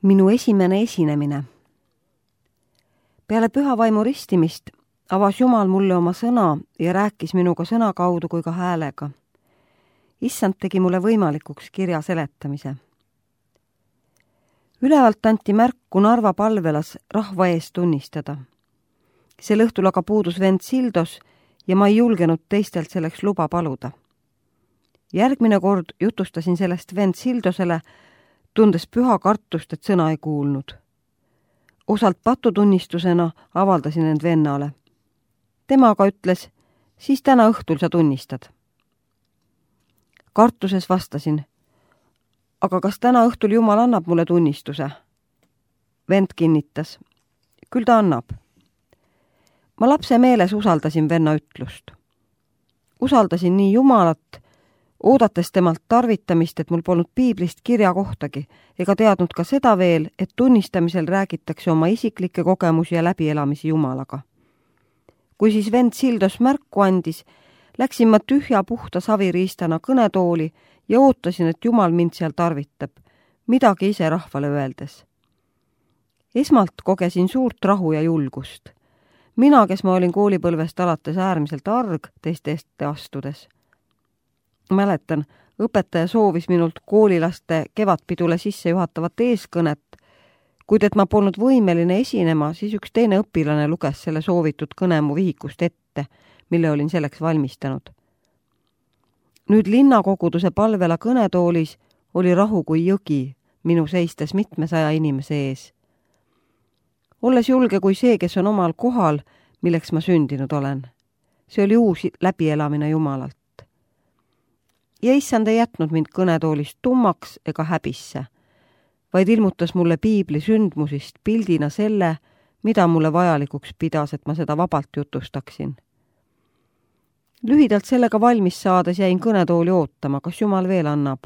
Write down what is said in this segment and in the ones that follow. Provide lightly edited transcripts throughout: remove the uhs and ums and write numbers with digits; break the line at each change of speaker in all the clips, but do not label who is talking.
Minu esimene esinemine. Peale püha vaimu ristimist avas Jumal mulle oma sõna ja rääkis minuga sõna kaudu kui ka häälega. Issand tegi mulle võimalikuks kirja seletamise. Ülevalt anti märku Narva palvelas rahva ees tunnistada. Sel õhtul aga puudus vend Sildos ja ma ei julgenud teistelt selleks luba paluda. Järgmine kord jutustasin sellest vend Sildosele, tundes püha kartust, et sõna ei kuulnud. Osalt patutunnistusena avaldasin end vennale. Tema aga ütles, siis täna õhtul sa tunnistad. Kartuses vastasin, aga kas täna õhtul Jumal annab mulle tunnistuse? Vend kinnitas, küll ta annab. Ma lapse meeles usaldasin venna ütlust. Usaldasin nii Jumalat, oodates temalt tarvitamist, et mul polnud piiblist kirja kohtagi, ega teadnud ka seda veel, et tunnistamisel räägitakse oma isiklikke kogemusi ja läbielamisi Jumalaga. Kui siis vend Sildos märku andis, läksin ma tühja puhta saviriistana kõnetooli ja ootasin, et Jumal mind seal tarvitab, midagi ise rahvale öeldes. Esmalt kogesin suurt rahu ja julgust. Mina, kes ma olin koolipõlvest alates äärmiselt arg teiste ette astudes. Mäletan, õpetaja soovis minult koolilaste kevadpidule sisse juhatavat eeskõnet, kuid et ma polnud võimeline esinema, siis üks teine õpilane luges selle soovitud kõne mu vihikust ette, mille olin selleks valmistanud. Nüüd linnakoguduse palvela kõnetoolis oli rahu kui jõgi, minu seistes 700 inimese ees. Olles julge kui see, kes on omal kohal, milleks ma sündinud olen. See oli uus läbielamine Jumalalt. Ja issand ei jätnud mind kõnetoolist tummaks ega häbisse, vaid ilmutas mulle piibli sündmusist pildina selle, mida mulle vajalikuks pidas, et ma seda vabalt jutustaksin. Lühidalt sellega valmis saades jäin kõnetooli ootama, kas Jumal veel annab.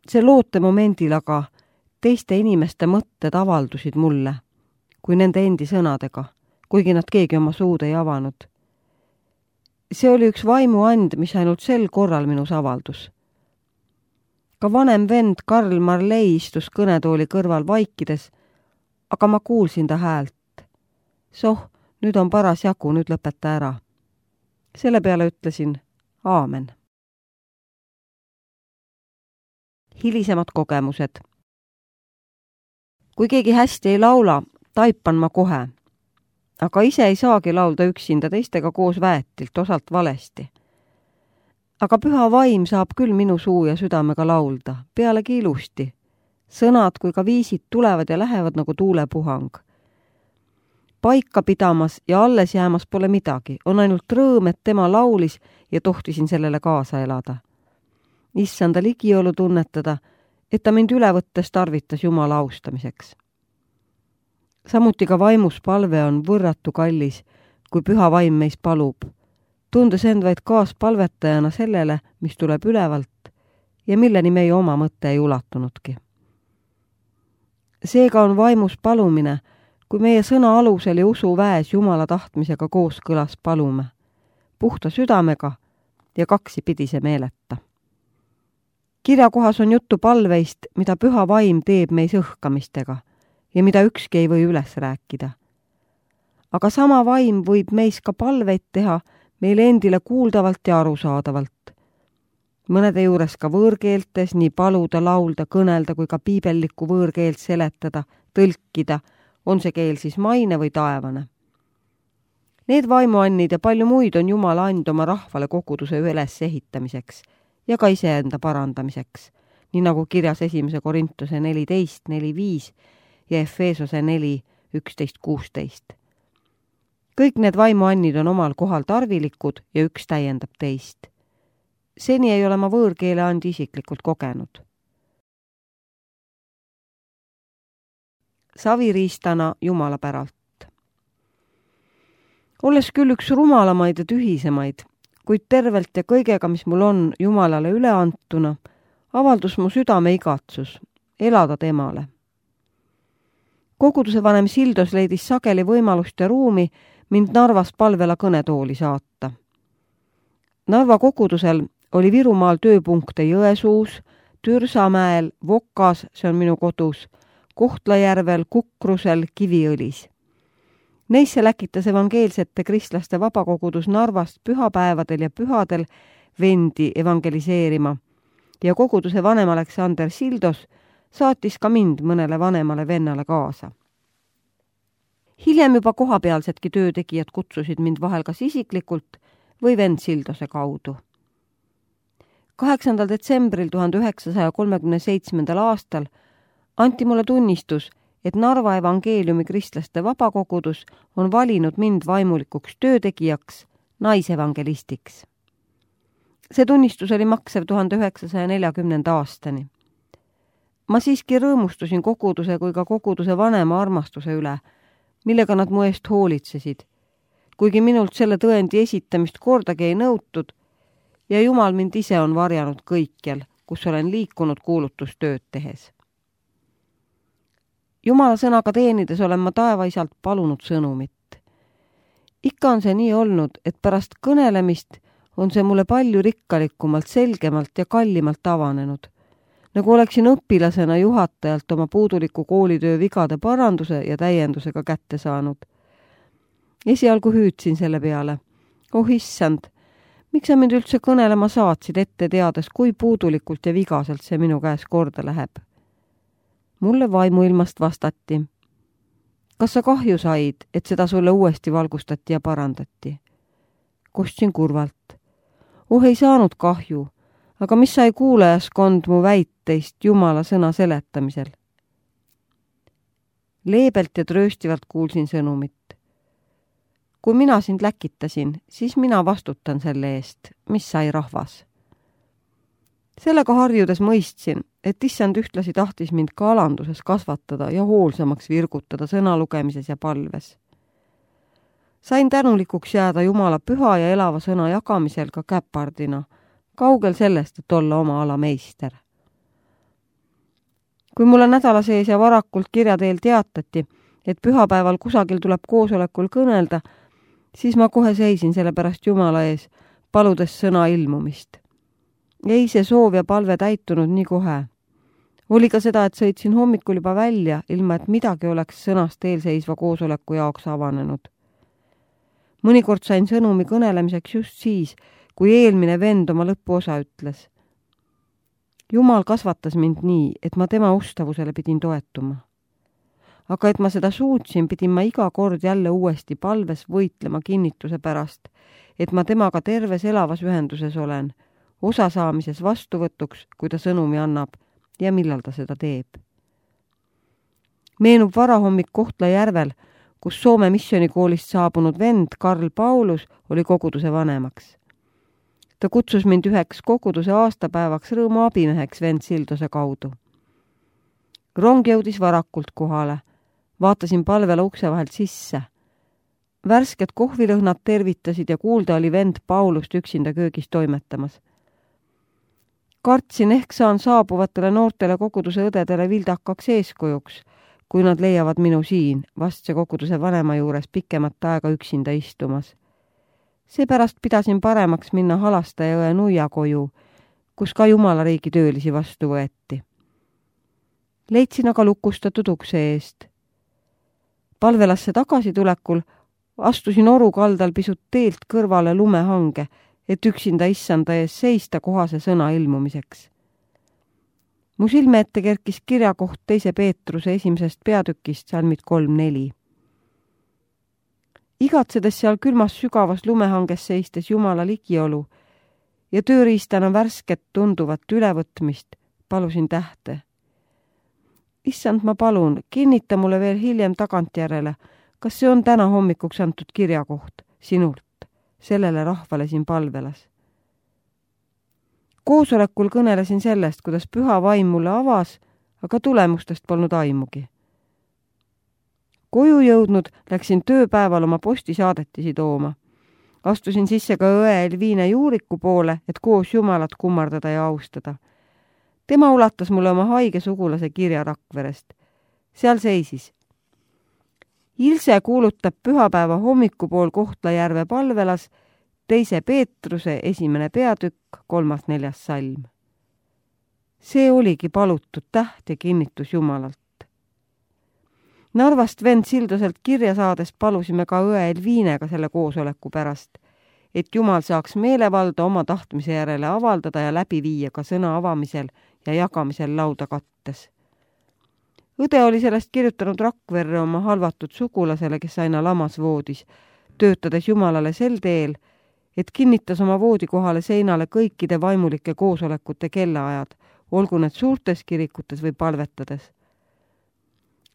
See loote momendil aga teiste inimeste mõtted avaldusid mulle, kui nende endi sõnadega, kuigi nad keegi oma suud ei avanud. See oli üks vaimuand, mis ainult sel korral minus avaldus. Ka vanem vend Karl Marley istus kõnetooli kõrval vaikides, aga ma kuulsin ta häält. Soh, nüüd on paras jagu, nüüd lõpeta ära. Selle peale ütlesin, aamen. Hilisemad kogemused. Kui keegi hästi ei laula, taipan ma kohe. Aga ise ei saagi laulda üksinda, teistega koos väetilt, osalt valesti. Aga püha vaim saab küll minu suu ja südamega laulda, pealegi ilusti. Sõnad kui ka viisid tulevad ja lähevad nagu tuulepuhang. Paika pidamas ja alles jäämas pole midagi, on ainult rõõm, et tema laulis ja tohtisin sellele kaasa elada. Issanda ligiolu tunnetada, et ta mind üle võttes tarvitas Jumala austamiseks. Samuti ka vaimus palve on võrratu kallis, kui püha vaim meis palub, tundes end vaid kaaspalvetajana sellele, mis tuleb ülevalt ja milleni meie oma mõte ei ulatunudki. Seega on vaimus palumine, kui meie sõna alusel ja usu väes Jumala tahtmisega kooskõlas palume, puhta südamega ja kaksipidise meeleta. Kirjakohas on juttu palveist, mida püha vaim teeb meis õhkamistega ja mida ükski ei või üles rääkida. Aga sama vaim võib meis ka palveid teha meile endile kuuldavalt ja arusaadavalt. Mõnede juures ka võõrkeeltes nii paluda, laulda, kõnelda kui ka piibellikku võõrkeelt seletada, tõlkida, on see keel siis maine või taevane. Need vaimuannid ja palju muid on Jumala and oma rahvale koguduse üles ehitamiseks ja ka iseenda parandamiseks, nii nagu kirjas 1. Korintuse 14, 4-5 ja Efeesose 4, 11-16. Kõik need vaimuannid on omal kohal tarvilikud ja üks täiendab teist. Seni ei ole ma võõrkeele andi isiklikult kogenud. Saviriistana Jumala päralt. Olles küll üks rumalamaid ja tühisemaid, kuid tervelt ja kõigega, mis mul on Jumalale üle antuna, avaldus mu südame igatsus, elada temale. Koguduse vanem Sildos leidis sageli võimalust ja ruumi mind Narvas palvela kõnetooli saata. Narva kogudusel oli Virumaal tööpunkte Jõesuus, Türsamäel, Vokas, see on minu kodus, Kohtla-Järvel, Kukrusel, Kiviõlis. Neisse läkitas evangeelsete kristlaste vabakogudus Narvast pühapäevadel ja pühadel vendi evangeliseerima ja koguduse vanem Aleksander Sildos saatis ka mind mõnele vanemale vennale kaasa. Hiljem juba kohapealsedki töötegijad kutsusid mind vahel kas isiklikult või vend Sildose kaudu. 8. detsembril 1937. aastal anti mulle tunnistus, et Narva evangeeliumi kristlaste vabakogudus on valinud mind vaimulikuks töötegijaks, naisevangelistiks. See tunnistus oli maksev 1940. aastani. Ma siiski rõõmustusin koguduse kui ka koguduse vanema armastuse üle, millega nad mu eest hoolitsesid, kuigi minult selle tõendi esitamist kordagi ei nõutud ja Jumal mind ise on varjanud kõikjal, kus olen liikunud kuulutustööd tehes. Jumala sõnaga teenides olen ma taevaisalt palunud sõnumit. Ikka on see nii olnud, et pärast kõnelemist on see mulle palju rikkalikumalt, selgemalt ja kallimalt avanenud, nagu oleksin õpilasena juhatajalt oma puuduliku koolitöö vigade paranduse ja täiendusega kätte saanud. Esialgu hüüdsin selle peale. Oh issand, miks sa mind üldse kõnelema saatsid ette teades, kui puudulikult ja vigaselt see minu käes korda läheb? Mulle vaimuilmast vastati. Kas sa kahju said, et seda sulle uuesti valgustati ja parandati? Kostsin kurvalt. Oh, ei saanud kahju, aga mis sai kuulajaskond mu väiteist Jumala sõna seletamisel? Leebelt ja trööstivalt kuulsin sõnumit. Kui mina sind läkitasin, siis mina vastutan selle eest, mis sai rahvas. Sellega harjudes mõistsin, et issand ühtlasi tahtis mind ka alanduses kasvatada ja hoolsamaks virgutada sõna lugemises ja palves. Sain tänulikuks jääda Jumala püha ja elava sõna jagamisel ka käpardina, kaugel sellest, et olla oma ala meister. Kui mulle nädala sees ja varakult kirja teel teatati, et pühapäeval kusagil tuleb koosolekul kõnelda, siis ma kohe seisin selle pärast Jumala ees, paludes sõna ilmumist. Ei see soov ja palve täitunud nii kohe. Oli ka seda, et sõitsin hommikul juba välja, ilma et midagi oleks sõnast eelseisva koosoleku jaoks avanenud. Mõnikord sain sõnumi kõnelemiseks just siis, kui eelmine vend oma lõpuosa ütles. Jumal kasvatas mind nii, et ma tema ustavusele pidin toetuma. Aga et ma seda suutsin, pidin ma iga kord jälle uuesti palves võitlema kinnituse pärast, et ma temaga terves elavas ühenduses olen, osa saamises vastuvõtuks, kui ta sõnumi annab ja millal ta seda teeb. Meenub varahommik Kohtla-Järvel, kus Soome missionikoolist saabunud vend Karl Paulus oli koguduse vanemaks. Ta kutsus mind üheks koguduse aastapäevaks rõõmu abimeheks vend Sildose kaudu. Rong jõudis varakult kohale. Vaatasin palvele ukse vahelt sisse. Värsked kohvilõhnad tervitasid ja kuulda oli vend Paulust üksinda köögis toimetamas. Kartsin ehk saan saabuvatele noortele koguduse õdedele vildakaks eeskujuks, kui nad leiavad minu siin, vastse koguduse vanema juures pikemat aega üksinda istumas. Seepärast pidasin paremaks minna Halastaja õe Nuia koju, kus ka Jumala riigi töölisi vastu võeti. Leidsin aga lukustatud ukse eest. Palvelasse tagasi tulekul astusin oru kaldal pisut teelt kõrvale lumehange, et üksinda issanda ees seista kohase sõna ilmumiseks. Mu silme ette kerkis kirjakoht 2. Peetruse 1. peatükist salmid 3-4. Igatsedes seal külmas sügavas lumehanges seistes Jumala ligiolu ja tööriistana värsket tunduvat ülevõtmist, palusin tähte. Issand, ma palun, kinnita mulle veel hiljem tagantjärele, kas see on täna hommikuks antud kirjakoht sinult, sellele rahvale siin palvelas. Koosolekul kõnelesin sellest, kuidas püha vaim mulle avas, aga tulemustest polnud aimugi. Koju jõudnud läksin tööpäeval oma postisaadetisi tooma. Astusin sisse ka õe Elviine Juuriku poole, et koos Jumalat kummardada ja austada. Tema ulatas mulle oma haige sugulase kirja Rakverest. Seal seisis. Ilse kuulutab pühapäeva hommikupool Kohtla-Järve palvelas 2. Peetruse 1. peatükk 3.-4. salm. See oligi palutud täht ja kinnitus Jumalalt. Narvast vend Sildoselt kirja saades palusime ka õe Elviinega selle koosoleku pärast, et Jumal saaks meelevalda oma tahtmise järele avaldada ja läbi viia ka sõna avamisel ja jagamisel lauda kattes. Õde oli sellest kirjutanud Rakverre oma halvatud sugulasele, kes aina lamas voodis, töötades Jumalale sel teel, et kinnitas oma voodikohale seinale kõikide vaimulike koosolekute kellaajad, olgu need suurtes kirikutes või palvetades.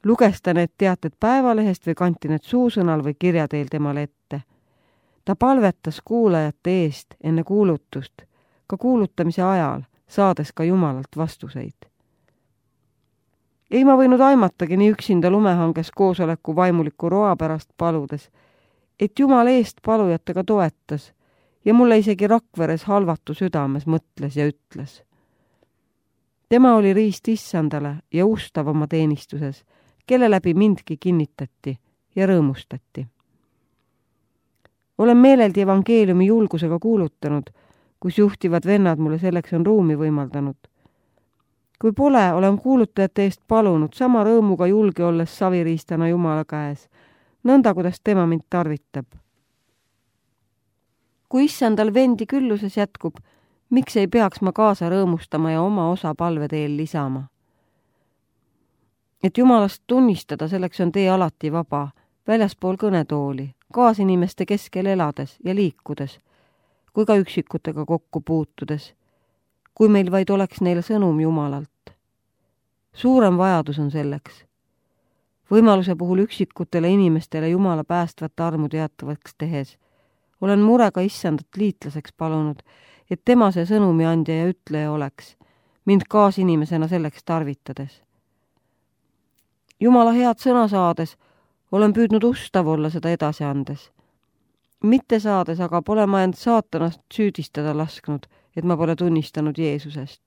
Luges ta need teated päevalehest või kanti need suusõnal või kirja teel temale ette. Ta palvetas kuulajate eest enne kuulutust, ka kuulutamise ajal, saades ka Jumalalt vastuseid. Ei ma võinud aimatagi nii üksinda lumehanges koosoleku vaimuliku roa pärast paludes, et Jumal eest palujatega toetas ja mulle isegi Rakveres halvatu südames mõtles ja ütles. Tema oli riist issandale ja ustav oma teenistuses, kelle läbi mindki kinnitati ja rõõmustati. Olen meeleldi evangeeliumi julgusega kuulutanud, kus juhtivad vennad mulle selleks on ruumi võimaldanud. Kui pole, olen kuulutajate eest palunud sama rõõmuga julge olles saviriistana Jumala käes, nõnda kuidas tema mind tarvitab. Kui issandal vendi külluses jätkub, miks ei peaks ma kaasa rõõmustama ja oma osa palveteel lisama? Et Jumalast tunnistada, selleks on tee alati vaba, väljaspool kõnetooli, kaasinimeste keskel elades ja liikudes, kui ka üksikutega kokku puutudes, kui meil vaid oleks neile sõnum Jumalalt. Suurem vajadus on selleks. Võimaluse puhul üksikutele inimestele Jumala päästvat armu teatavaks tehes, olen murega issandat liitlaseks palunud, et tema see sõnumi andja ja ütleja oleks, mind kaasinimesena selleks tarvitades. Jumala head sõna saades olen püüdnud ustav olla seda edasi andes. Mitte saades aga pole ma end saatanast süüdistada lasknud, et ma pole tunnistanud Jeesusest.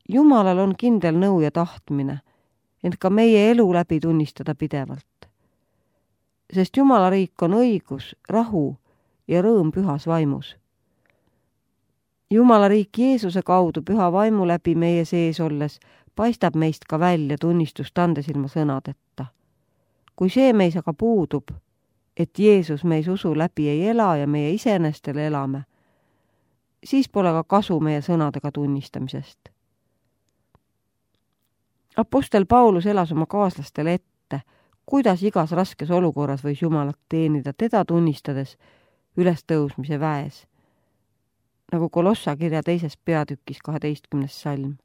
Jumalal on kindel nõu ja tahtmine, ent ka meie elu läbi tunnistada pidevalt. Sest Jumala riik on õigus, rahu ja rõõm pühas vaimus. Jumala riik Jeesuse kaudu püha vaimu läbi meie sees olles paistab meist ka välja tunnistust andes ilma sõnadeta. Kui see meis aga puudub, et Jeesus meis usu läbi ei ela ja meie isenestele elame, siis pole ka kasu meie sõnadega tunnistamisest. Apostel Paulus elas oma kaaslastele ette, kuidas igas raskes olukorras võis Jumalat teenida teda tunnistades ülestõusmise väes, nagu Kolossa kirja 2. peatükis 12. salm.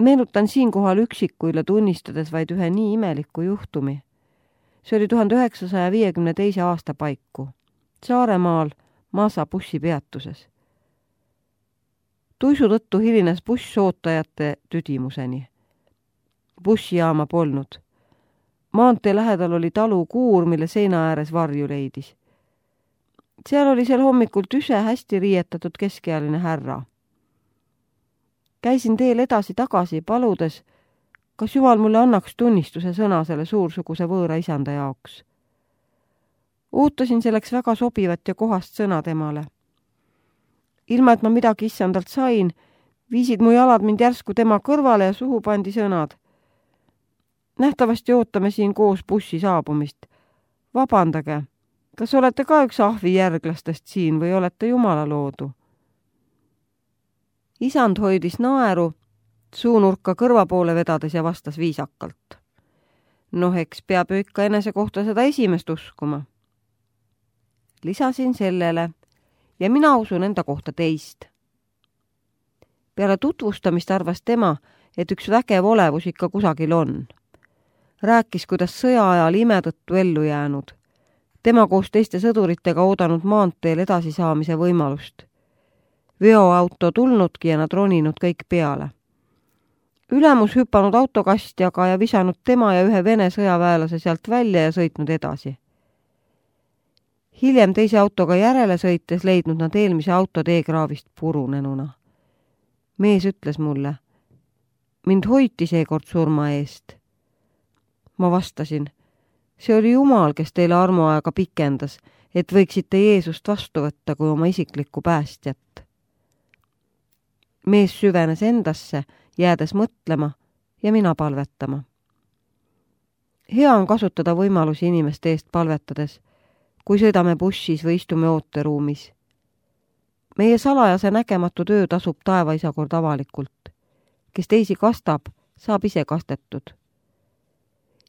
Meenutan siinkohal üksikuile tunnistades vaid ühe nii imeliku juhtumi. See oli 1952. aasta paiku, Saaremaal Maasa bussipeatuses. Tuisu tõttu hilines buss ootajate tüdimuseni. Bussijaama polnud. Maantee lähedal oli talu kuur, mille seina ääres varju leidis. Seal oli sel hommikul tüse hästi riietatud keskealine härra. Käisin teel edasi-tagasi paludes, kas Jumal mulle annaks tunnistuse sõna selle suursuguse võõra isanda jaoks. Ootasin selleks väga sobivat ja kohast sõna temale. Ilma, et ma midagi issandalt sain, viisid mu jalad mind järsku tema kõrvale ja suhu pandi sõnad. Nähtavasti ootame siin koos bussi saabumist. Vabandage, kas olete ka üks ahvi järglastest siin või olete Jumala loodu? Isand hoidis naeru, suunurka kõrva poole vedades ja vastas viisakalt. Noh, eks peab ju ikka enese kohta seda esimest uskuma. Lisasin sellele ja mina usun enda kohta teist. Peale tutvustamist arvas tema, et üks vägev olevus ikka kusagil on. Rääkis, kuidas sõja ajal ime tõttu ellu jäänud. Tema koos teiste sõduritega oodanud maanteel edasisaamise võimalust. Veoauto tulnudki ja nad roninud kõik peale. Ülemus hüpanud autokastjaga ja visanud tema ja ühe Vene sõjaväelase sealt välja ja sõitnud edasi. Hiljem teise autoga järele sõites leidnud nad eelmise auto teekraavist purunenuna. Mees ütles mulle, mind hoiti seekord surma eest. Ma vastasin, see oli Jumal, kes teile armuaega pikendas, et võiksite Jeesust vastu võtta kui oma isiklikku päästjat. Mees süvenes endasse, jäädes mõtlema ja mina palvetama. Hea on kasutada võimalusi inimeste eest palvetades, kui sõidame bussis või istume ooteruumis. Meie salajase nägematu töö tasub taevaisa kord avalikult. Kes teisi kastab, saab ise kastetud.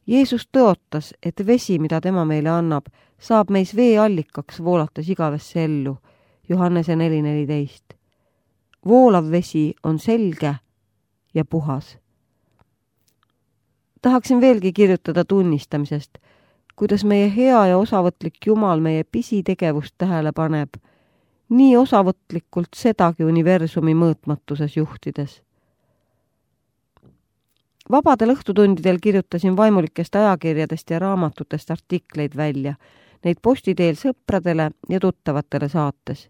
Jeesus tõotas, et vesi, mida tema meile annab, saab meis veeallikaks voolates igavesse ellu. Johannese 4.14. Voolav vesi on selge ja puhas. Tahaksin veelgi kirjutada tunnistamisest, kuidas meie hea ja osavõtlik Jumal meie pisitegevust tähele paneb, nii osavõtlikult sedagi universumi mõõtmatuses juhtides. Vabadel õhtutundidel kirjutasin vaimulikest ajakirjadest ja raamatutest artikleid välja, neid posti teel sõpradele ja tuttavatele saates.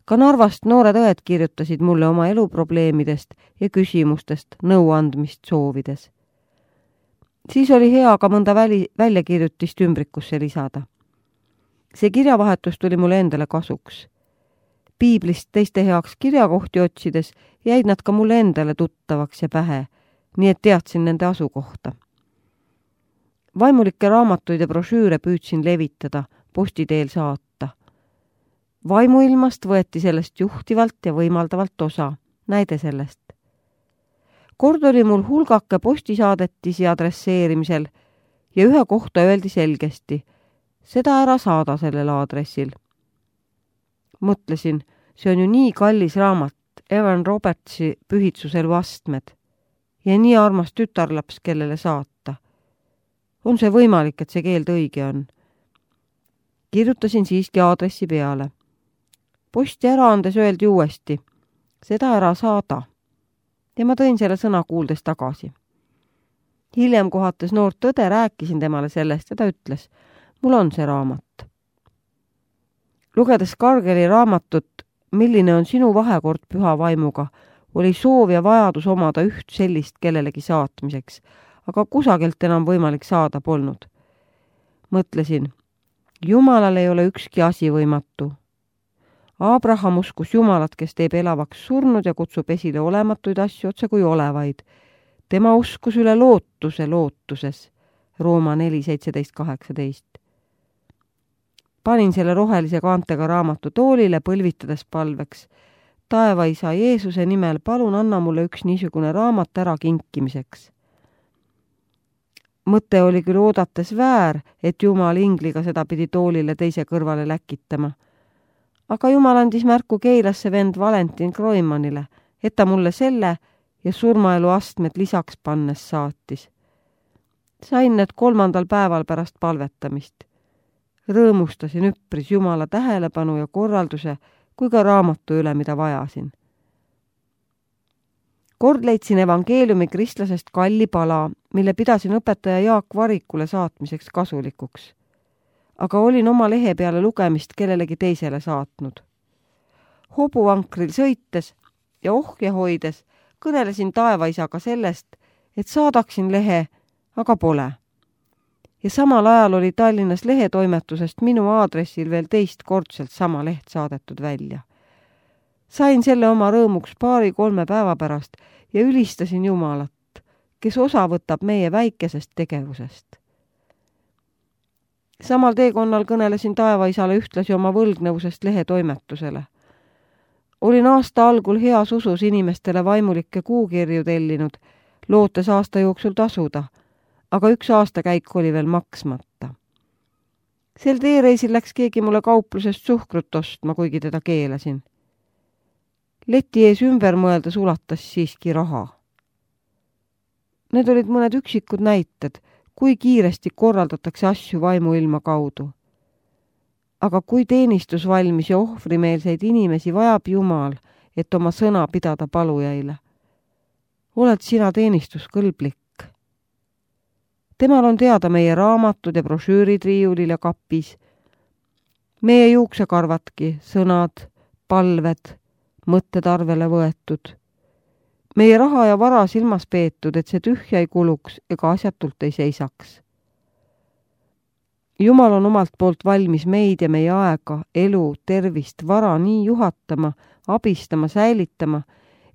Ka Narvast noored õed kirjutasid mulle oma eluprobleemidest ja küsimustest nõuandmist soovides. Siis oli hea ka mõnda väljakirjutist ümbrikusse lisada. See kirjavahetus tuli mulle endale kasuks. Piiblist teiste heaks kirjakohti otsides jäid nad ka mulle endale tuttavaks ja pähe, nii et teadsin nende asukohta. Vaimulikke raamatuid ja brošüüre püüdsin levitada, posti teel saata. Vaimuilmast võeti sellest juhtivalt ja võimaldavalt osa, näide sellest. Kord oli mul hulgake postisaadetisi adresseerimisel ja ühe kohta öeldi selgesti, seda ära saada sellel aadressil. Mõtlesin, see on ju nii kallis raamat, Evan Robertsi Pühitsuselu astmed ja nii armas tütarlaps, kellele saata. On see võimalik, et see keeld õige on? Kirjutasin siiski aadressi peale. Posti ära andes öeldi uuesti, seda ära saada. Ja ma tõin selle sõna kuuldes tagasi. Hiljem kohates noort tõde rääkisin temale sellest ja ta ütles, mul on see raamat. Lugedes Kargeli raamatut, milline on sinu vahekord püha vaimuga, oli soov ja vajadus omada üht sellist kellelegi saatmiseks, aga kusagilt enam võimalik saada polnud. Mõtlesin, Jumalal ei ole ükski asi võimatu. Abraham uskus Jumalat, kes teeb elavaks surnud ja kutsub esile olematuid asju otse kui olevaid. Tema uskus üle lootuse lootuses. Rooma 4.17.18. Panin selle rohelise kaantega raamatu toolile põlvitades palveks. Taevaisa Jeesuse nimel palun anna mulle üks niisugune raamat ära kinkimiseks. Mõte oli küll oodates väär, et Jumal ingliga seda pidi toolile teise kõrvale läkitama. Aga Jumal andis märku Keilasse vend Valentin Kroimanile, et ta mulle selle ja surmaelu astmed lisaks pannes saatis. Sain need 3. päeval pärast palvetamist. Rõõmustasin üpris Jumala tähelepanu ja korralduse kui ka raamatu üle, mida vajasin. Kord leidsin evangeeliumi kristlasest kalli pala, mille pidasin õpetaja Jaak Varikule saatmiseks kasulikuks. Aga olin oma lehe peale lugemist kellelegi teisele saatnud. Hobuvankril sõites ja ohje hoides kõnelesin taevaisaga sellest, et saadaksin lehe, aga pole. Ja samal ajal oli Tallinnas lehetoimetusest minu aadressil veel teistkordselt sama leht saadetud välja. Sain selle oma rõõmuks 2-3 päeva pärast ja ülistasin Jumalat, kes osa võtab meie väikesest tegevusest. Samal teekonnal kõnelesin taevaisale ühtlasi oma võlgnevusest lehetoimetusele. Olin aasta algul heas usus inimestele vaimulikke kuukirju tellinud, lootes aasta jooksul tasuda, aga üks aastakäik oli veel maksmata. Sel teereisil läks keegi mulle kauplusest suhkrut ostma, kuigi teda keelasin. Leti ees ümber mõeldes ulatas siiski raha. Need olid mõned üksikud näited, kui kiiresti korraldatakse asju vaimuilma kaudu. Aga kui teenistusvalmis ja ohvrimeelseid inimesi vajab Jumal, et oma sõna pidada palujaile, oled sina teenistuskõlblik. Temal on teada meie raamatud ja brošüürid riiulil ja kapis, meie juuksekarvatki, sõnad, palved, mõtted arvele võetud. Meie raha ja vara silmas peetud, et see tühja ei kuluks ega asjatult ei seisaks. Jumal on omalt poolt valmis meid ja meie aega, elu, tervist, vara nii juhatama, abistama, säilitama,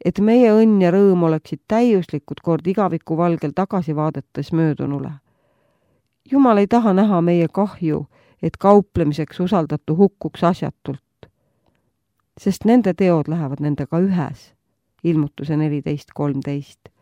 et meie õnn ja rõõm oleksid täiuslikud kord igaviku valgel tagasi vaadates möödunule. Jumal ei taha näha meie kahju, et kauplemiseks usaldatu hukkuks asjatult, sest nende teod lähevad nendega ühes. Ilmutuse 14.13.